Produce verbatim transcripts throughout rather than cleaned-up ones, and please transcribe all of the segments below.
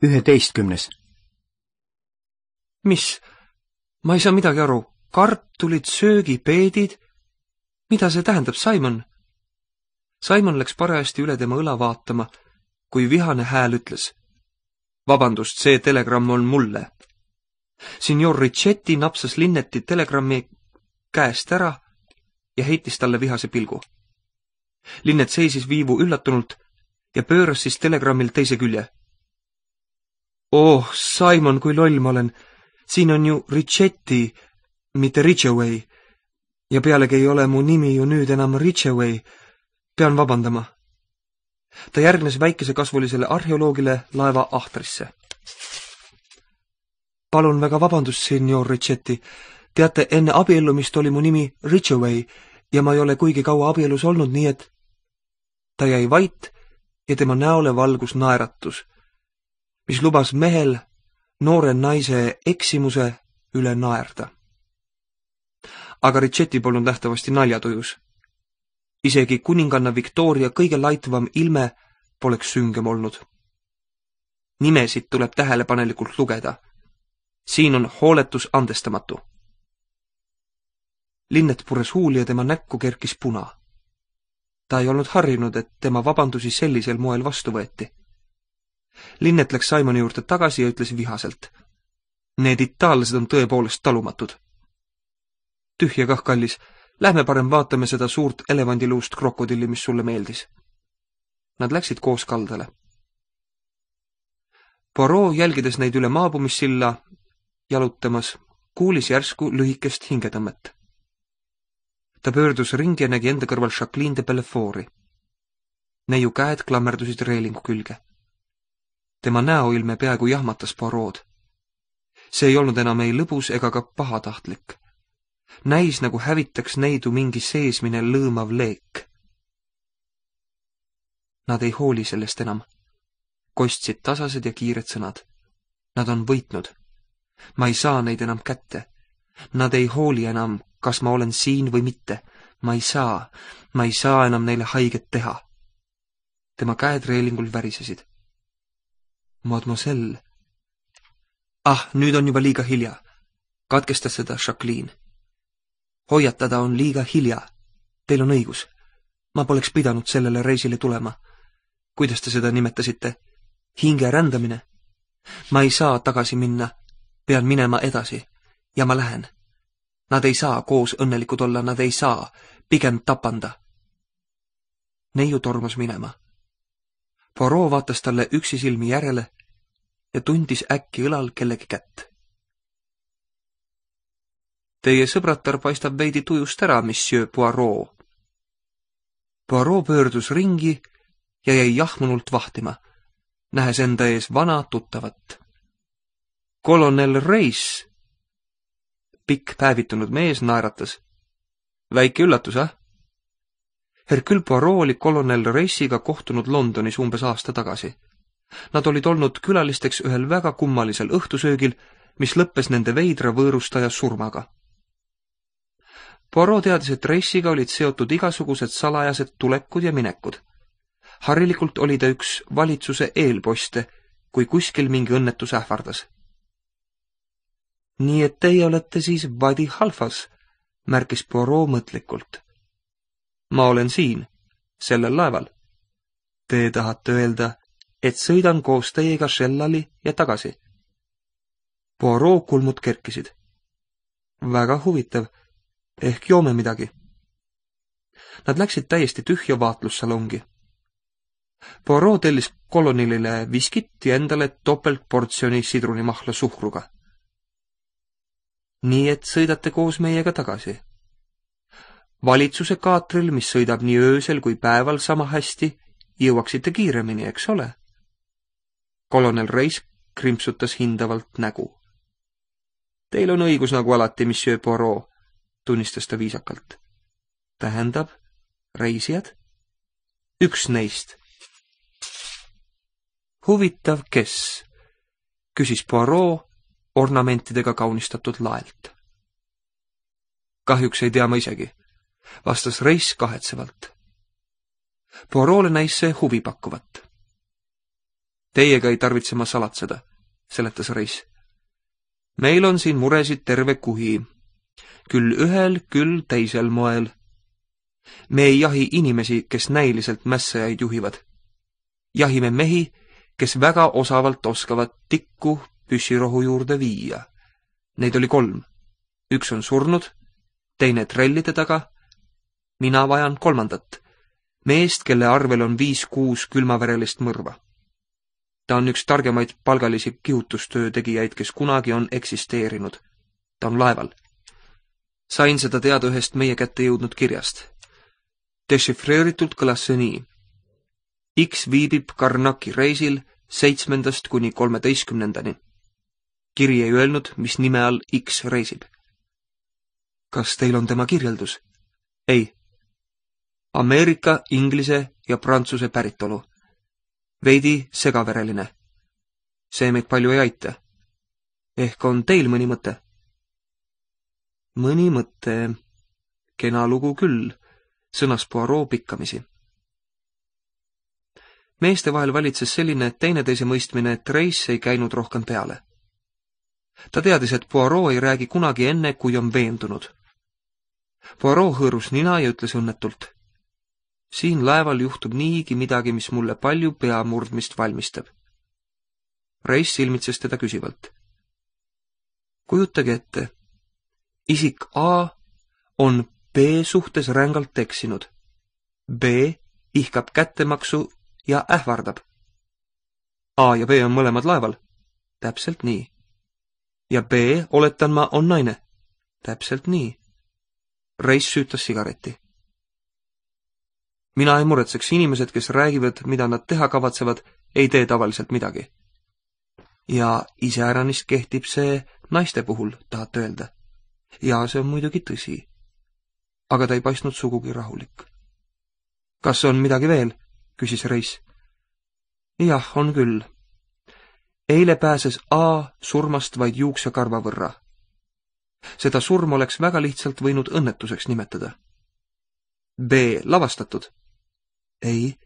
üheteistkümnes. Mis? Ma ei saa midagi aru. Kartulid, söögipeedid? Mida see tähendab, Simon? Simon läks parajasti üle tema õla vaatama, kui vihane hääl ütles. Vabandust, see telegramm on mulle. Signor Richetti napsas Linneti telegrammi käest ära ja heitis talle vihase pilgu. Linnet seisis viivu üllatunult ja pööras siis telegrammil teise külje. Oh, Simon, kui loll ma olen. Siin on ju Richetti, mitte Ridgeway. Ja pealegi ei ole mu nimi ju nüüd enam Ridgeway. Pean vabandama. Ta järgnes väikesekasvulisele arheoloogile laeva ahtrisse. Palun väga vabandust, signor Richetti. Teate, enne abiellumist oli mu nimi Ridgeway ja ma ei ole kuigi kaua abielus olnud, nii et ta jäi vait ja tema näole valgus naeratus, mis lubas mehel noore naise eksimuse üle naerda. Aga Richetti polnud nähtavasti naljatujus. Isegi kuninganna Victoria kõige laitvam ilme poleks süngem olnud. Nimesid tuleb tähelepanelikult lugeda. Siin on hooletus andestamatu. Linnet pures huuli ja tema näkku kerkis puna. Ta ei olnud harjunud, et tema vabandusi sellisel moel vastu võeti. Linnet läks Simoni juurde tagasi ja ütles vihaselt. Need itaallased on tõepoolest talumatud. Tühja kah, kallis. Lähme parem vaatame seda suurt elevandiluust krokodilli, mis sulle meeldis. Nad läksid koos kaldale. Poirot, jälgides neid üle maabumissilla jalutamas, kuulis järsku lühikest hingetõmmet. Ta pöördus ringi ja nägi enda kõrval Jacqueline de Bellefort'i. Neiu käed klammerdusid reelingu külge. Tema näoilme peaaegu jahmatas Poirot. See ei olnud enam ei lõbus ega ka pahatahtlik. Näis nagu hävitaks neidu mingi seesmine lõõmav leek. Nad ei hooli sellest enam. Kostsid tasased ja kiired sõnad. Nad on võitnud. Ma ei saa neid enam kätte. Nad ei hooli enam, kas ma olen siin või mitte. Ma ei saa, ma ei saa enam neile haiget teha. Tema käed reelingul värisesid. Mademoiselle. Ah, nüüd on juba liiga hilja. Katkestas seda Jacqueline. Hoiatada on liiga hilja. Teil on õigus. Ma poleks pidanud sellele reisile tulema. Kuidas te seda nimetasite? Hinge rändamine. Ma ei saa tagasi minna. Pean minema edasi. Ja ma lähen. Nad ei saa koos õnnelikud olla, nad ei saa. Pigem tapanda. Neiu tormas minema. Poirot vaatas talle üksi silmi järele ja tundis äkki õlal kellegi kätt. Teie sõbratar paistab veidi tujust ära, monsieur Poirot. Poirot pöördus ringi ja jäi jahmunult vahtima, nähes enda ees vana tuttavat. Kolonel Reis. Pikk päevitunud mees naeratas. Väike üllatus, ah? Hercule Poirot oli kolonel Reisiga kohtunud Londonis umbes aasta tagasi. Nad olid olnud külalisteks ühel väga kummalisel õhtusöögil, mis lõppes nende veidra võõrustaja surmaga. Poirot teadis, et Reisiga olid seotud igasugused salajased tulekud ja minekud. Harilikult oli ta üks valitsuse eelposte, kui kuskil mingi õnnetus ähvardas. Nii et teie olete siis Wadi Halfas, märkis Poirot mõtlikult. Ma olen siin, sellel laeval. Te tahate öelda, et sõidan koos teiega Shellali ja tagasi. Poirot kulmud kerkisid. Väga huvitav, ehk joome midagi. Nad läksid täiesti tühja vaatlussalongi. Poirot tellis kolonilile viskit ja endale topeltportsjoni sidrunimahla suhkruga. Nii et sõidate koos meiega tagasi. Valitsuse kaatril, mis sõidab nii öösel kui päeval sama hästi, jõuaksite kiiremini, eks ole? Kolonel Reis krimpsutas hindavalt nägu. Teil on õigus nagu alati, monsieur Poirot, tunnistas ta viisakalt. Tähendab, reisijad? Üks neist. Huvitav, kes? Küsis Poirot ornamentidega kaunistatud laelt. Kahjuks ei tea ma isegi, vastas Reis kahetsevalt. Poirot'le näis see huvi pakkuvat. Teiega ei tarvitse ma salatseda, seletas Reis. Meil on siin muresid terve kuhi. Küll ühel, küll teisel moel. Me ei jahi inimesi, kes näiliselt mässajaid juhivad. Jahime mehi, kes väga osavalt oskavad tikku püssirohu juurde viia. Neid oli kolm. Üks on surnud, teine trellide taga. Mina vajan kolmandat. Meest, kelle arvel on viis-kuus külmaverelist mõrva. Ta on üks targemaid palgalisi kihutustöö tegijaid, kes kunagi on eksisteerinud. Ta on laeval. Sain seda teada ühest meie kätte jõudnud kirjast. Dešifreeritult kõlas see nii. X viibib Karnaki reisil seitsmendast kuni kolmeteistkümnendani. Kiri ei öelnud, mis nime all X reisib. Kas teil on tema kirjeldus? Ei. Ameerika, inglise ja prantsuse päritolu. Veidi segavereline. See meid palju ei aita. Ehk on teil mõni mõte? Mõni mõte. Kena lugu küll, sõnas Poirot pikkamisi. Meeste vahel valitses selline teineteise mõistmine, et Reis ei käinud rohkem peale. Ta teadis, et Poirot ei räägi kunagi enne, kui on veendunud. Poirot hõõrus nina ja ütles õnnetult. Siin laeval juhtub niigi midagi, mis mulle palju peamurdmist valmistab. Reis silmitses teda küsivalt. Kujutage ette. Isik A on B suhtes rängalt eksinud. B ihkab kättemaksu ja ähvardab. A ja B on mõlemad laeval. Täpselt nii. Ja B, oletan ma, on naine. Täpselt nii. Reis süütas sigareti. Mina ei muretseks, inimesed, kes räägivad, mida nad teha kavatsevad, ei tee tavaliselt midagi. Ja iseäranist kehtib see naiste puhul, tahate öelda. Ja see on muidugi tõsi. Aga ta ei paistnud sugugi rahulik. Kas on midagi veel? Küsis Reis. Jah, on küll. Eile pääses A surmast vaid juuksekarva võrra. Seda surm oleks väga lihtsalt võinud õnnetuseks nimetada. B lavastatud. Ei,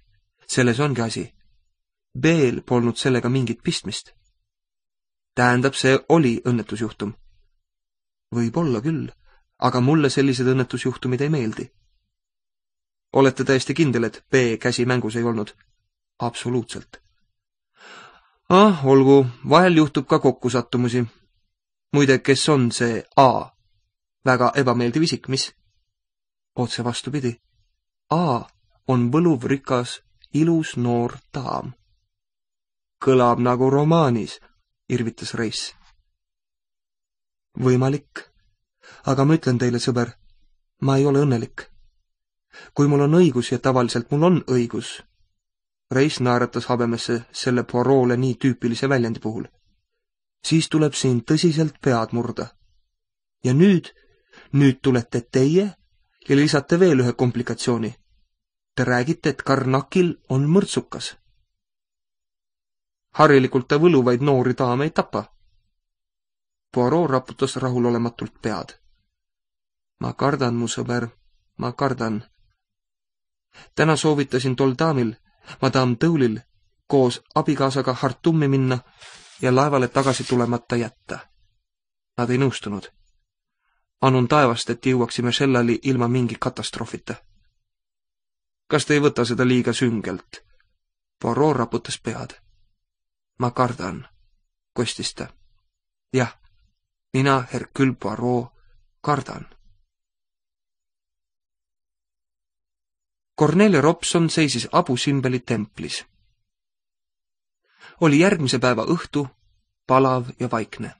selles ongi asi. B-l polnud sellega mingit pistmist. Tähendab, see oli õnnetusjuhtum. Võib-olla küll, aga mulle sellised õnnetusjuhtumid ei meeldi. Olete täiesti kindel, et B käsi mängus ei olnud? Absoluutselt. Ah, olgu, vahel juhtub ka kokkusattumusi. Muide, kes on see A? Väga ebameeldiv isik, mis? Otse vastupidi. A on võluv rikas, ilus noor daam. Kõlab nagu romaanis, irvitas Reis. Võimalik. Aga ma ütlen teile, sõber, ma ei ole õnnelik. Kui mul on õigus ja tavaliselt mul on õigus. Reis naeratas habemesse selle Poirot'le nii tüüpilise väljendi puhul. Siis tuleb siin tõsiselt pead murda. Ja nüüd, nüüd tulete teie ja lisate veel ühe komplikatsiooni. Te räägite, et Karnakil on mõrtsukas. Harilikult ta võluvaid noori daame ei tapa. Poirot raputas rahulolematult pead. Ma kardan, mu sõber, ma kardan. Täna soovitasin tol daamil, madam Tõulil, koos abikaasaga Hartumi minna ja laevale tagasi tulemata jätta. Nad ei nõustunud. Anun taevast, et jõuaksime Shellali ilma mingi katastroofita. Kas te ei võta seda liiga süngelt? Poirot raputas pead. Ma kardan, kostis ta. Jah, mina, Hercule Poirot, kardan. Cornelia Robson seisis Abu Simbeli templis. Oli järgmise päeva õhtu, palav ja vaikne.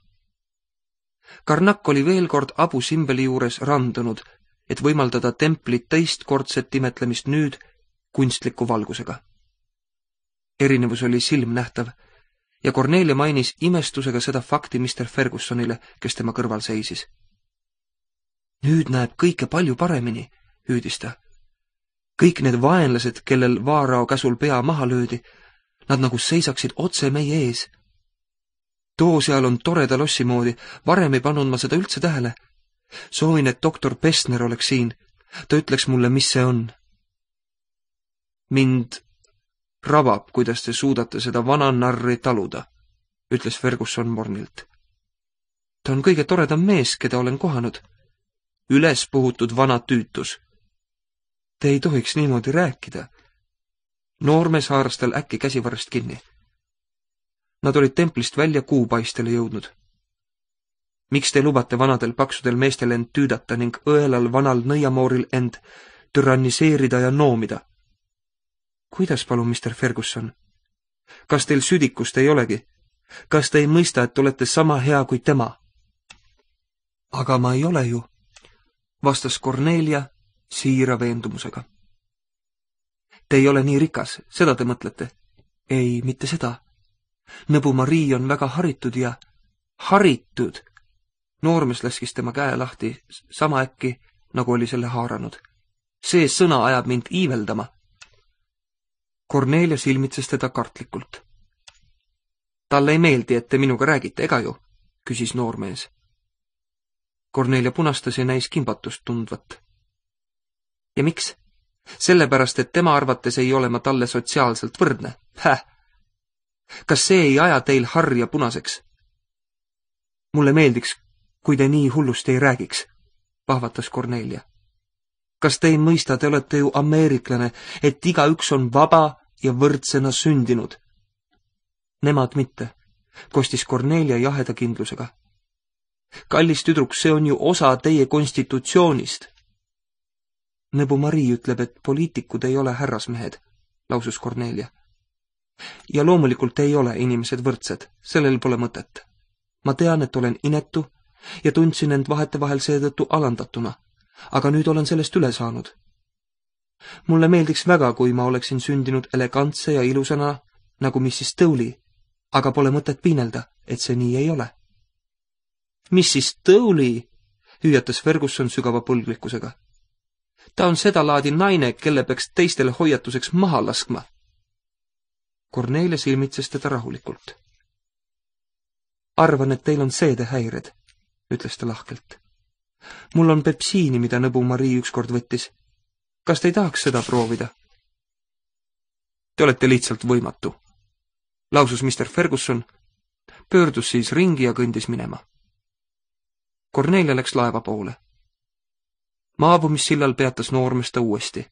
Karnak oli veel kord Abu Simbeli juures randunud, et võimaldada templit teistkordset imetlemist nüüd kunstliku valgusega. Erinevus oli silmnähtav ja Cornelia mainis imestusega seda fakti mister Fergusonile, kes tema kõrval seisis. Nüüd näeb kõike palju paremini, hüüdis ta. Kõik need vaenlased, kellel Vaarao käsul pea maha löödi, nad nagu seisaksid otse meie ees. Too seal on toreda lossi moodi, varem ei pannud ma seda üldse tähele. Soovin, et doktor Pestner oleks siin. Ta ütleks mulle, mis see on. Mind rabab, kuidas te suudate seda vana narri taluda, ütles Ferguson mornilt. Ta on kõige toredam mees, keda olen kohanud. Üles puhutud vana tüütus. Te ei tohiks niimoodi rääkida. Noormees haaras tal äkki käsivarrest kinni. Nad olid templist välja kuupaistele jõudnud. Miks te lubate vanadel paksudel meestel end tüüdata ning õelal vanal nõiamooril end türanniseerida ja noomida? Kuidas palun, mister Ferguson? Kas teil südikust ei olegi? Kas te ei mõista, et olete sama hea kui tema? Aga ma ei ole ju, vastas Cornelia siira veendumusega. Te ei ole nii rikas, seda te mõtlete? Ei, mitte seda. Nõbu Marii on väga haritud ja haritud. Noormees laskis tema käe lahti sama äkki, nagu oli selle haaranud. See sõna ajab mind iiveldama. Cornelia silmitses teda kartlikult. Talle ei meeldi, et te minuga räägite, ega ju? Küsis noormees. Cornelia punastas ja näis kimbatust tundvat. Ja miks? Sellepärast, et tema arvates ei ole ma talle sotsiaalselt võrdne. Häh! Kas see ei aja teil harja punaseks? Mulle meeldiks, kui te nii hullust ei räägiks, pahvatas Cornelia. Kas te ei mõista, te olete ju ameeriklane, et igaüks on vaba ja võrdsena sündinud? Nemad mitte, kostis Cornelia jaheda kindlusega. Kallis tüdruk, see on ju osa teie konstitutsioonist. Nõbu Marii ütleb, et poliitikud ei ole härrasmehed, lausus Cornelia. Ja loomulikult ei ole inimesed võrdsed, sellel pole mõtet. Ma tean, et olen inetu ja tundsin end vahetevahel seetõttu alandatuna, aga nüüd olen sellest üle saanud. Mulle meeldiks väga, kui ma oleksin sündinud elegantse ja ilusana nagu missis Tõuli, aga pole mõtet piinelda, et see nii ei ole. missis Tõuli, hüüatas Ferguson sügava põlglikkusega. Ta on seda laadi naine, kelle peaks teistele hoiatuseks maha laskma. Cornelia silmitses teda rahulikult. Arvan, et teil on seedehäired, ütles ta lahkelt. Mul on pepsiini, mida Nõbu Marii ükskord võttis. Kas te ei tahaks seda proovida? Te olete lihtsalt võimatu, lausus mister Ferguson, pöördus siis ringi ja kõndis minema. Cornelia läks laeva poole. Maabumissillal peatas noormees ta uuesti.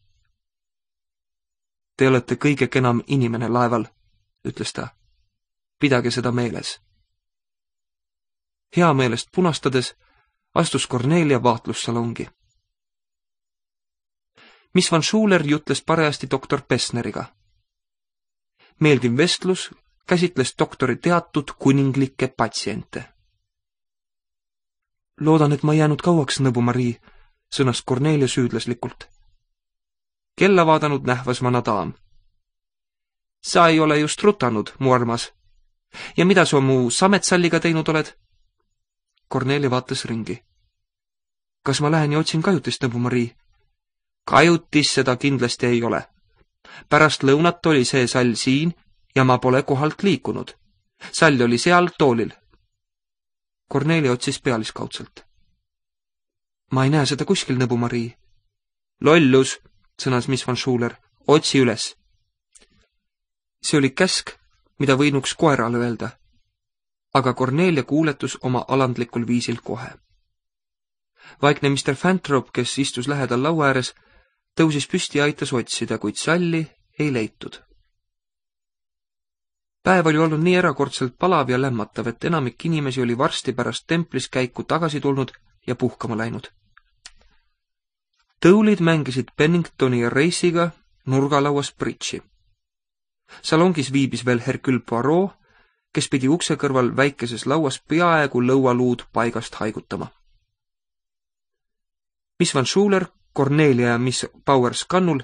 Te olete kõige kenam inimene laeval, ütles ta. Pidage seda meeles. Hea meelest punastades astus Cornelia vaatlussalongi. Miss Van Schuler jutles parajasti doktor Pessneriga. Meeldiv vestlus käsitles doktori teatud kuninglikke patsiente. Loodan, et ma jäänud kauaks, Nõbu Marii, sõnas Cornelia süüdlaslikult. Kella vaadanud nähvas vana daam. Sa ei ole just rutanud, mu armas. Ja mida sa mu sametsalliga teinud oled? Cornelia vaatas ringi. Kas ma lähen ja otsin kajutist, Nõbu Marii? Kajutis seda kindlasti ei ole. Pärast lõunat oli see sall siin ja ma pole kohalt liikunud. Sall oli seal toolil. Cornelia otsis pealiskaudselt. Ma ei näe seda kuskil, Nõbu Marii. Lollus, sõnas miss Van Schuler, otsi üles. See oli käsk, mida võinuks koerale öelda, aga Cornelia kuuletus oma alandlikul viisil kohe. Vaikne mister Fantrop, kes istus lähedal laua ääres, tõusis püsti ja aitas otsida, kuid salli ei leitud. Päev oli olnud nii erakordselt palav ja lämmatav, et enamik inimesi oli varsti pärast templis käiku tagasi tulnud ja puhkama läinud. Tõulid mängisid Penningtoni ja Reisiga nurgalauas bridži. Salongis viibis veel Hercule Poirot, kes pidi ukse kõrval väikeses lauas peaaegu lõualuud paigast haigutama. Miss Van Schuler, Cornelia ja miss Powers kannul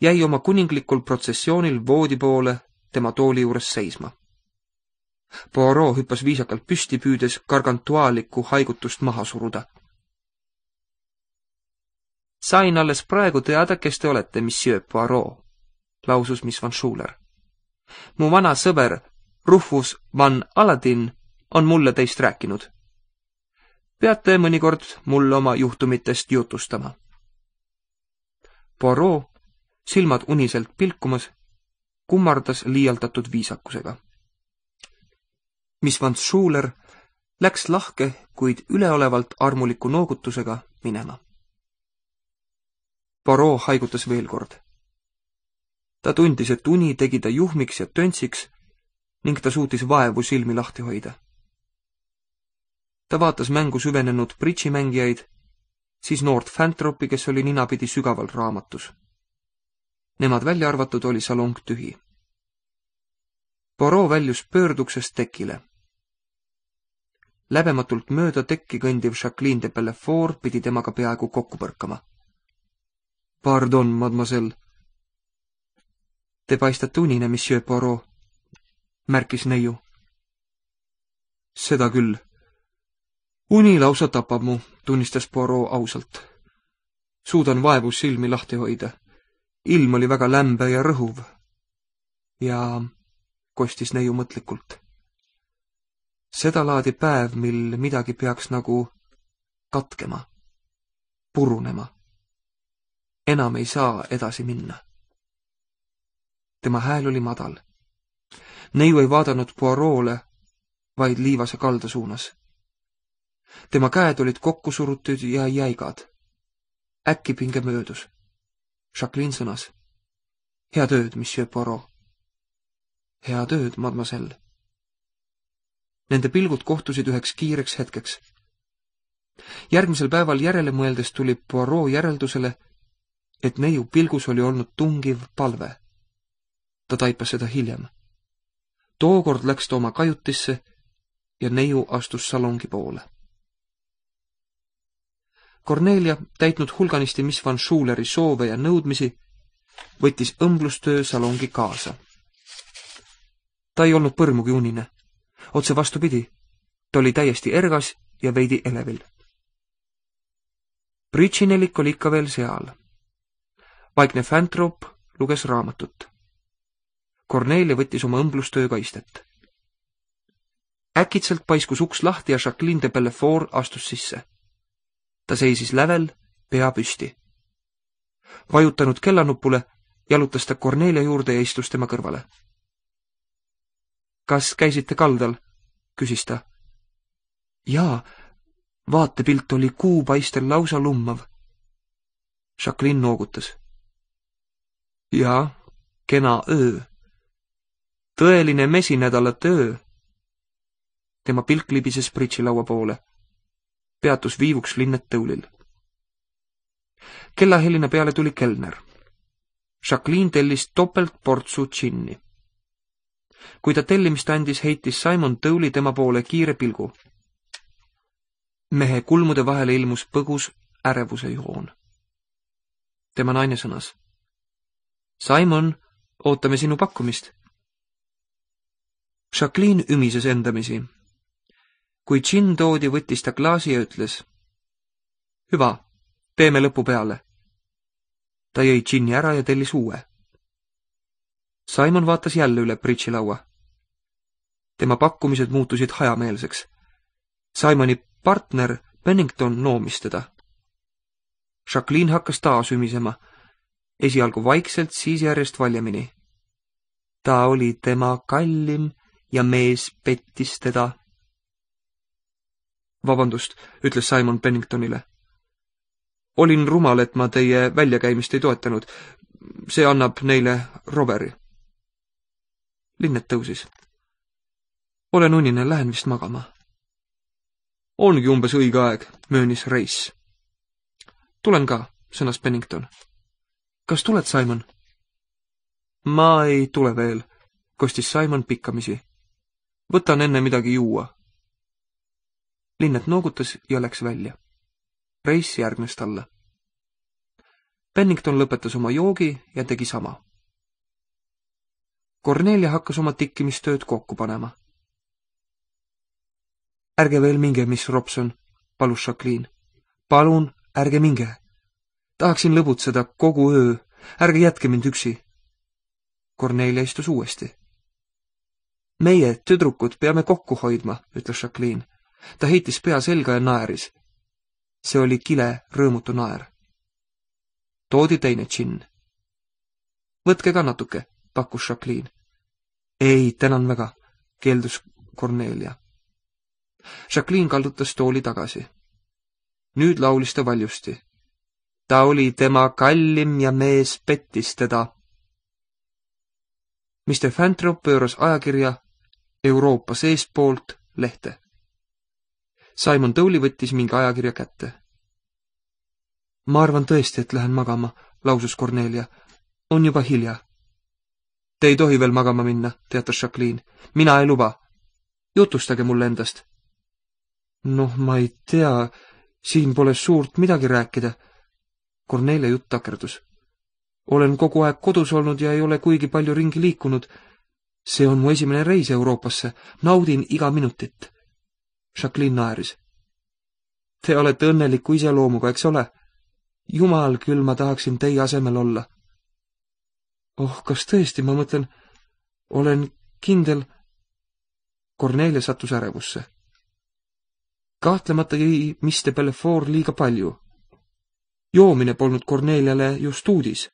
jäi oma kuninglikul protsessioonil voodi poole tema tooli juures seisma. Poirot hüppas viisakalt püsti püüdes gargantuaalikku haigutust maha suruda. Sain alles praegu teada, kes te olete, monsieur Poirot, lausus miss Van Schuler. Mu vana sõber Rufus van Aladin on mulle teist rääkinud. Peate mõnikord mulle oma juhtumitest jutustama. Poirot, silmad uniselt pilkumas, kummardas liialdatud viisakusega. Miss Van Schuler läks lahke, kuid üleolevalt armuliku noogutusega minema. Poirot haigutas veel kord. Ta tundis, et uni tegi ta juhmiks ja töntsiks ning ta suutis vaevu silmi lahti hoida. Ta vaatas mängu süvenenud bridžimängijaid, siis noort Fantropi, kes oli ninapidi sügaval raamatus. Nemad välja arvatud oli salong tühi. Poirot väljus pöörduksest tekile. Läbematult mööda tekki kõndiv Jacqueline de Bellefort pidi temaga peaaegu kokku põrkama. Pardon, mademoiselle. Te paistate unine, monsieur Poirot, märkis neiu. Seda küll. Uni lausa tapab mu, tunnistas Poirot ausalt. Suudan vaevu silmi lahti hoida. Ilm oli väga lämbe ja rõhuv. Ja kostis neiu mõtlikult. Seda laadi päev, mil midagi peaks nagu katkema, purunema. Enam ei saa edasi minna. Tema hääl oli madal. Neiu ei vaadanud Poirot'le, vaid liivase kalda suunas. Tema käed olid kokku surutud ja jäigad. Äkki pinge möödus. Jacqueline sõnas. Hea tööd, monsieur Poirot. Hea tööd, mademoiselle. Nende pilgud kohtusid üheks kiireks hetkeks. Järgmisel päeval järele mõeldes tuli Poirot järeldusele, et neiu pilgus oli olnud tungiv palve. Ta taipas seda hiljem. Tookord läks ta oma kajutisse ja neiu astus salongi poole. Cornelia, täitnud hulganisti Miss Van Schuleri soove ja nõudmisi, võttis õmblustöö salongi kaasa. Ta ei olnud põrmugi unine. Otse vastupidi, ta oli täiesti ergas ja veidi elevil. Bridžinelik oli ikka veel seal. Vaikne Fantrop luges raamatut. Cornelia võttis oma õmblustöö kaistet. Äkitselt paiskus uks lahti ja Jacqueline de Bellefort astus sisse. Ta seisis lävel, pea püsti. Vajutanud kellanupule, jalutas ta Cornelia juurde ja istus tema kõrvale. Kas käisite kaldal? Küsis ta. Jaa, vaatepilt oli kuupaistel lausa lummav. Jacqueline noogutas. Jaa, kena öö. Tõeline mesinädala töö. Tema pilk libises bridžilaua poole. Peatus viivuks linnet tõulil. Kellahelina peale tuli kelner. Jacqueline tellis topelt portsu džinni. Kui ta tellimist andis, heitis Simon tõuli tema poole kiire pilgu. Mehe kulmude vahele ilmus põgus ärevuse joon. Tema naine sõnas. Simon, ootame sinu pakkumist. Jacqueline ümises endamisi. Kui džinn toodi, võttis ta klaasi ja ütles. Hüva, teeme lõpu peale. Ta jõi džinni ära ja tellis uue. Simon vaatas jälle üle bridžilaua. Tema pakkumised muutusid hajameelseks. Simoni partner Pennington noomis teda. Jacqueline hakkas taas ümisema. Esialgu vaikselt, siis järjest valjemini. Ta oli tema kallim ja mees pettis teda. Vabandust, ütles Simon Penningtonile. Olin rumal, et ma teie väljakäimist ei toetanud. See annab neile roveri. Linnet tõusis. Olen unine, lähen vist magama. Ongi umbes õige aeg, möönis Reis. Tulen ka, sõnas Pennington. Kas tuled, Simon? Ma ei tule veel, kostis Simon pikkamisi. Võtan enne midagi juua. Linnet noogutas ja läks välja. Reis järgnes talle. Pennington lõpetas oma joogi ja tegi sama. Cornelia hakkas oma tikkimistööd kokku panema. Ärge veel minge, miss Robson, palus Jacqueline. Palun, ärge minge. Tahaksin lõbutseda kogu öö. Ärge jätke mind üksi. Cornelia istus uuesti. Meie, tüdrukud, peame kokku hoidma, ütles Jacqueline. Ta heitis pea selga ja naeris. See oli kile rõõmutu naer. Toodi teine džinn. Võtke ka natuke, pakkus Jacqueline. Ei, tänan väga, keeldus Cornelia. Jacqueline kaldutas tooli tagasi. Nüüd laulis ta valjusti. Ta oli tema kallim ja mees pettis teda. mister Fantrop pööras ajakirja Euroopa seespoolt lehte. Simon Towley võttis mingi ajakirja kätte. Ma arvan tõesti, et lähen magama, lausus Cornelia. On juba hilja. Te ei tohi veel magama minna, teatas Jacqueline. Mina ei luba. Jutustage mulle endast. Noh, ma ei tea, siin pole suurt midagi rääkida. Cornelia jutt takerdus. Olen kogu aeg kodus olnud ja ei ole kuigi palju ringi liikunud. See on mu esimene reis Euroopasse. Naudin iga minutit. Jacqueline naeris. Te olete õnneliku iseloomuga, eks ole? Jumal küll, ma tahaksin teie asemel olla. Oh, kas tõesti, ma mõtlen, olen kindel. Cornelia sattus ärevusse. Kahtlemata jäi mister Belfort liiga palju. Joomine polnud Corneliale just uudis.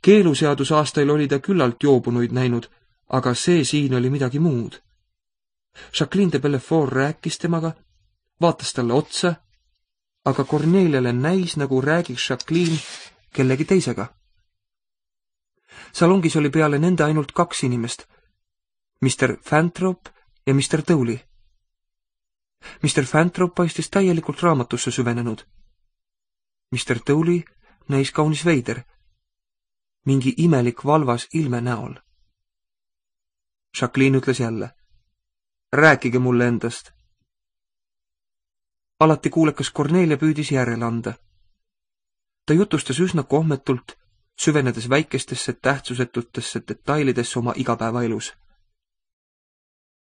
Keeluseadus aastail oli ta küllalt joobunuid näinud, aga see siin oli midagi muud. Jacqueline de Belfort rääkis temaga, vaatas talle otsa, aga Corneliale näis, nagu räägiks Jacqueline kellegi teisega. Salongis oli peale nende ainult kaks inimest, mister Fantrop ja mister Towley. mister Fantrop paistis täielikult raamatusse süvenenud. mister Towley näis kaunis veider, mingi imelik valvas ilme näol. Jacqueline ütles jälle. Rääkige mulle endast. Alati kuulekas Cornelia püüdis järele anda. Ta jutustas üsna kohmetult, süvenedes väikestesse tähtsusetutesse detailidesse oma igapäevaelus.